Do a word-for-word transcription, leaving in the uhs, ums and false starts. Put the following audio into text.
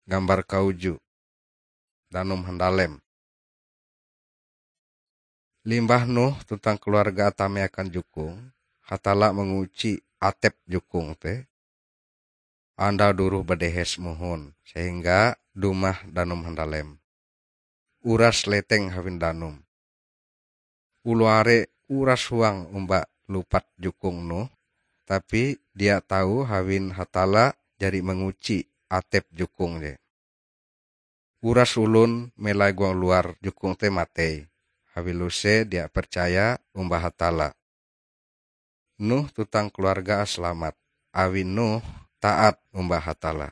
Gambar kauju, danum handalem. Limbah Nuh tuntang keluarga tame akan jukung, Hatalla manguci atep jukung te. Andau duroh badehes mohon, sehingga dumah danum handalem. Uras leteng hawin danum. Oloh are uras huang omba lupat jukung Nuh, tapi dia tau hawin Hatalla jari manguci atep jukung je. Uras olon melai huang luar jukung te matei, awi luse dia percaya omba Hatalla. Nuh tuntang keluarga salamat, awi Nuh taat omba Hatalla.